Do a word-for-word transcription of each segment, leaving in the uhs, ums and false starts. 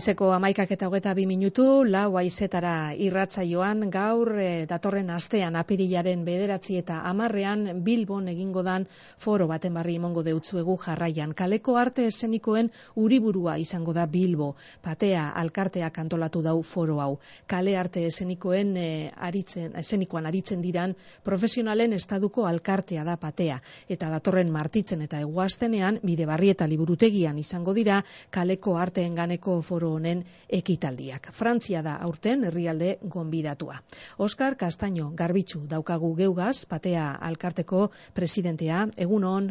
Goizeko hamaikak eta hogeta bi minutu, lau haizetara irratsaioan gaur e, datorren astean apirilaren bederatzi eta hamarrean Bilbon egingo dan foro baten barri emongo deutzuegu jarraian. Kaleko arte eszenikoen uriburua izango da Bilbo. Patea alkarteak antolatu dau foro hau. Kale arte eszenikoen e, aritzen, eszenikoan aritzen diran profesionalen estaduko alkartea da Patea. Eta datorren martitzen eta eguaztenean Bidebarri eta Liburutegian izango dira kaleko arteen ganeko foro honen ekitaldiak. Frantzia da aurten herrialde gonbidatua. Oskar Castaño Garbitzu daukagu geugaz, Patea alkarteko presidentea. Egunon.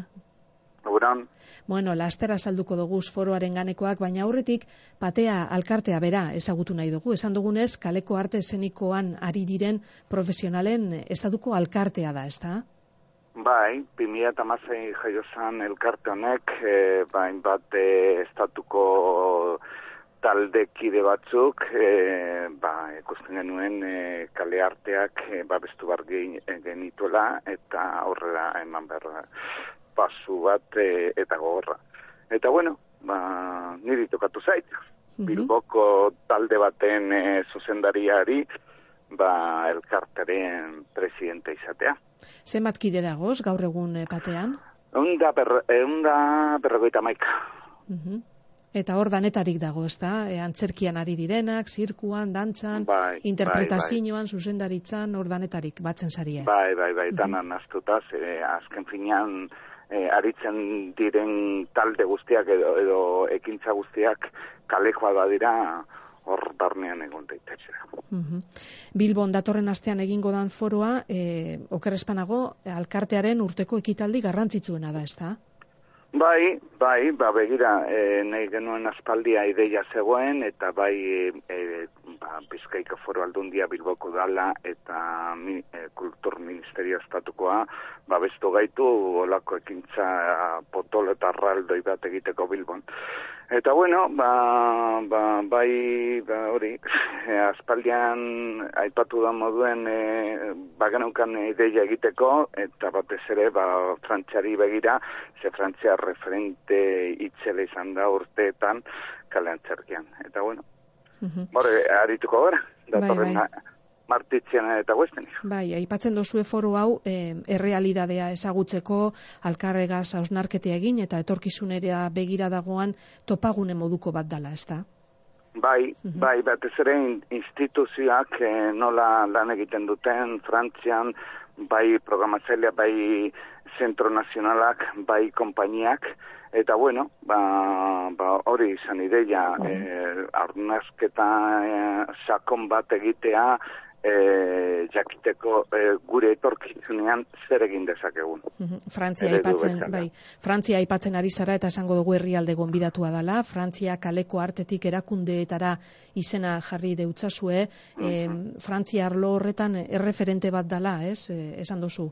Egunon. Bueno, lastera salduko dugu foroaren ganekoak, baina aurretik Patea alkartea bera ezagutu nahi dugu. Esan dugunez, kaleko arte eszenikoan ari diren profesionalen estaduko alkartea da, ezta? Bai, bi mila hamasei jaio zen elkarte honek, e, bain bat e, estatuko taldekide batzuk, e, ba, ikusten genuen e, kale arteak e, babestu bar genituela eta aurrera eman behar pasu bat e, eta gogorra. Eta bueno, ba, niri tokatu zait, mm-hmm. Bilboko talde baten e, zuzendariari, ba, elkarteren presidente izatea. Zenbat kide dagoz gaur egun e, Patean? Eunda ber, berrogeita maika. Uh-huh. Eta hor danetarik dago, ezta? E, antzerkian ari direnak, zirkuan, dantzan, bai, interpretazioan, bai, bai. Zuzendaritzan, hor danetarik batzen zarie. Bai, bai, bai, uh-huh. danan aztutaz, e, azken finean e, aritzen diren talde guztiak edo, edo ekintza guztiak kalekoa da dira, hor barnean egon daitezera. Uh-huh. Bilbon datorren astean egingo dan foroa, e, okerrespanago, alkartearen urteko ekitaldi garrantzitsuena da, ezta? Bai, bai, ba, begira, e, nahi genuen aspaldia ideia zegoen, eta bai, e, ba, Bizkaiko Foru Aldundia Bilboko dala, eta mi, e, Kultur Ministerio Estatukoa, ba, bestu gaitu, olako ekintza potolo eta arraldoi bat egiteko Bilbon. Eta bueno, ba, ba, bai, ba, hori, e, aspaldian aipatu da moduen, e, ba, genaukan ideia egiteko, eta batez ere, ba, Frantziari begira, ze Frantzia referente itzela izan da urteetan kale antzerkian. Eta bueno, uh-huh. Hore, arituko gara, datorren bai, bai. Martitzean eta guesten. Bai, aipatzen dozue foro hau, eh, errealidadea ezagutzeko, alkarregaz hausnarketea egin, eta etorkizunera begira dagoan topagune moduko bat dala, ezta? Bai, uh-huh. bai, batez ere instituzioak eh, nola lan egiten duten, Frantzian, bai programatzailea, bai zentro nazionalak, bai konpainiak, eta bueno, ba, ba hori izan ideia, uh-huh. eh, arnazketa eh, sakon bat egitea, E, jakiteko e, gure etorkizunean zer egin dezakegun. Uh-huh. Frantzia aipatzen, bai. Frantzia aipatzen ari zara eta esango dugu herrialde gonbidatua dela. Frantzia kaleko artetik erakundeetara izena jarri deutzazue. Uh-huh. E, Frantzia arlo horretan erreferente bat dela, ez? E, esan duzu.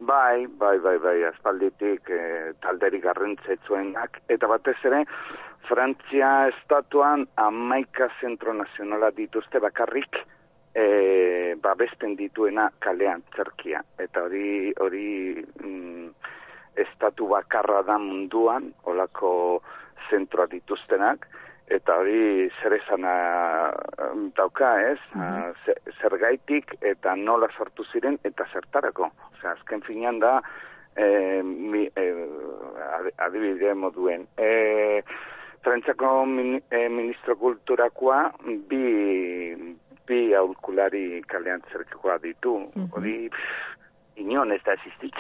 Bai, bai, bai, bai, aspalditik e, talderi garrantzitsuenak, eta batez ere, Frantzia estatuan hamaika zentro nazionala dituzte bakarrik, E, babesten dituena kalean antzerkia, eta hori hori mm, estatu bakarra da munduan, olako zentroa dituztenak, eta hori zer esana dauka, ez? Uh-huh. Zergaitik eta nola sortu ziren eta zertarako. Osea, azken finean da e, mi, e, adibide moduen. E, Frantziako min, e, ministro kulturakoa bi bi aholkulari kalean zerkekoa ditu, hori uh-huh. inon ez da existik.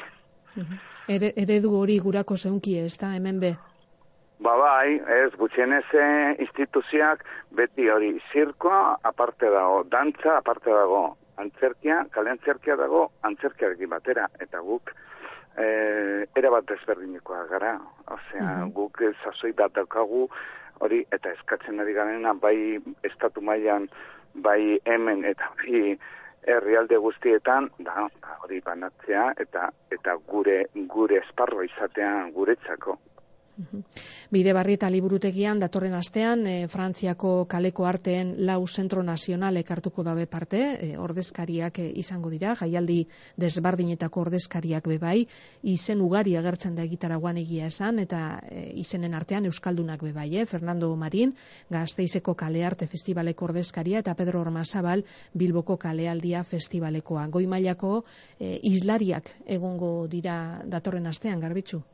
Uh-huh. Ere, eredu hori gurako zeunki ez da, hemen be? Ba bai, ez, gutxienez instituziak beti hori zirkoa aparte dago, dantza aparte dago, antzerkia, kale antzerkia dago, antzerkiarekin batera, eta guk e, erabat desberdinekoa gara, osea, uh-huh. guk sasoi bat daukagu, hori, eta eskatzen ari garena, bai estatu mailan, bai hemen eta bai herrialde guztietan, da, hori banatzea eta eta gure gure esparroa izatea guretzako. Bide Barri eta Liburutegian datorren astean e, Frantziako kaleko arteen lau zentro nazionalek hartuko dabe parte, e, ordezkariak e, izango dira, jaialdi desbardinetako ordezkariak bebai, izen ugari agertzen da egitaragoan egia esan, eta e, izenen artean euskaldunak bebai, eh? Fernando Marin, Gasteizeko Kalearte Festivaleko ordezkaria, eta Pedro Ormazabal, Bilboko Kalealdia Festivalekoa. Goi mailako e, islariak egongo dira datorren astean, Garbitzu?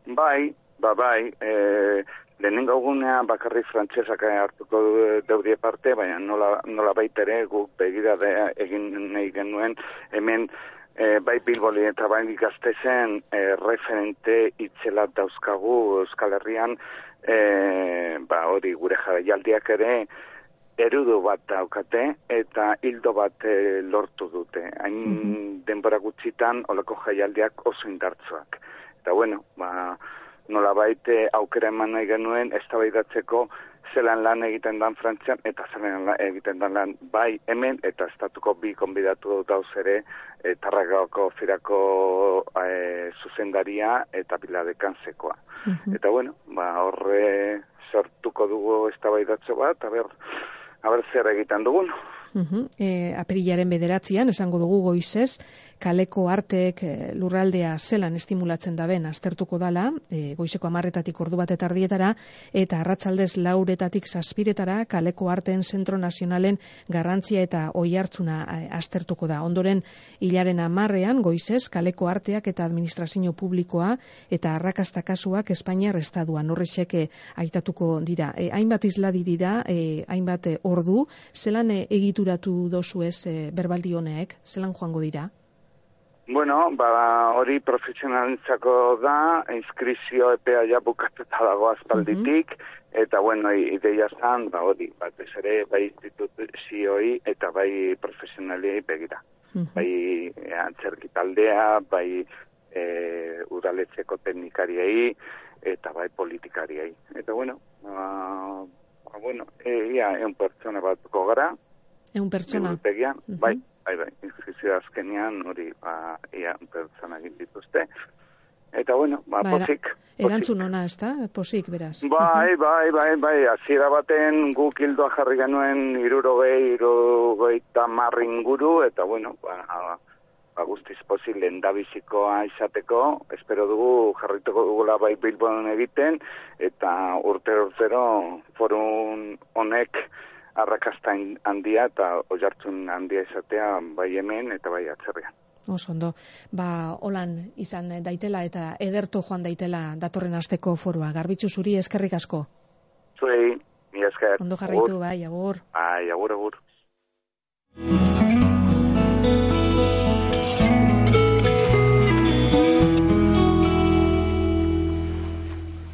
Bai, Ba, bai, e, lehenengo egunean bakarrik frantsesak hartuko daudie parte, baina nola, nola baitere guk begirada egin nahi genuen hemen e, bai Bilboli eta bai Gasteizen e, referente itzelat dauzkagu Euskal Herrian, e, ba hori gure jaialdiak ere erudu bat daukate eta hildo bat e, lortu dute. Hain mm-hmm. denbora gutxitan olako jaialdiak oso indartsuak. Eta bueno, ba nola baite aukera eman nahi genuen eztabaidatzeko zelan lan egiten dan Frantzian eta zelan lan egiten dan lan bai hemen eta estatuko bi konbidatu dauz ere e, Tarragako firako e, zuzendaria eta Biladekanzekoa. Uh-huh. Eta bueno, ba horre sortuko dugu eztabaidatze bat, a ber, a ber zer egiten dugun. Uh-huh. E, apirilaren bederatzian, esango dugu goizez, kaleko arteek e, lurraldea zelan estimulatzen daben aztertuko dala, e, goizeko amarretatik ordu bat eta ardietara, eta arratsaldez lauretatik zazpiretara kaleko arteen zentro nazionalen garrantzia eta oihartzuna e, aztertuko da. Ondoren, hilaren amarrean, goizez, kaleko arteak eta administrazio publikoa eta arrakasta kasuak Espainiar estaduan horrexek e, aitatuko dira. E, hainbat isladi dira, e, hainbat e, ordu, zelan e, egitu duratu dozu ez e, berbaldi honek, zelan joango dira? Bueno, ba, hori profesionalentzako da, inskrizio epea ja bukatuta dago aspalditik, uh-huh. eta bueno, ideia zan, ba, hori, bat ez ere, bai instituzioi eta bai profesionaliei begira. Uh-huh. Bai antzerki taldea, bai e, udaletxeko teknikariei, eta bai politikariei. Eta bueno, ba, ba bueno, ia, eun pertsona batuko gara, Eun pertsona. Uh-huh. Bai, bai, bai, inskripzio azkenean hori, ba, ia, un pertsona egin dituzte. Eta bueno, ba, ba posik. Erantzun ona, ez da? Posik, beraz. Bai, uh-huh. bai, bai, bai, hasiera baten guk hildoa jarri genuen irurogei, irurogei eta marri inguru, eta bueno, ba, ba guztiz pozik lehendabizikoa izateko, espero dugu jarrituko dugula bai Bilbon egiten, eta urtero urtero forum honek arrakasta handia eta oihartzun handia izatea bai hemen eta bai atzerrian. Oso ondo. Ba, holan izan daitela eta ederto joan daitela datorren asteko forua. Garbitzu zuri eskerrik asko. Zuei, mi esker. Ondo jarraitu, bai, agur. Bai, agur, agur.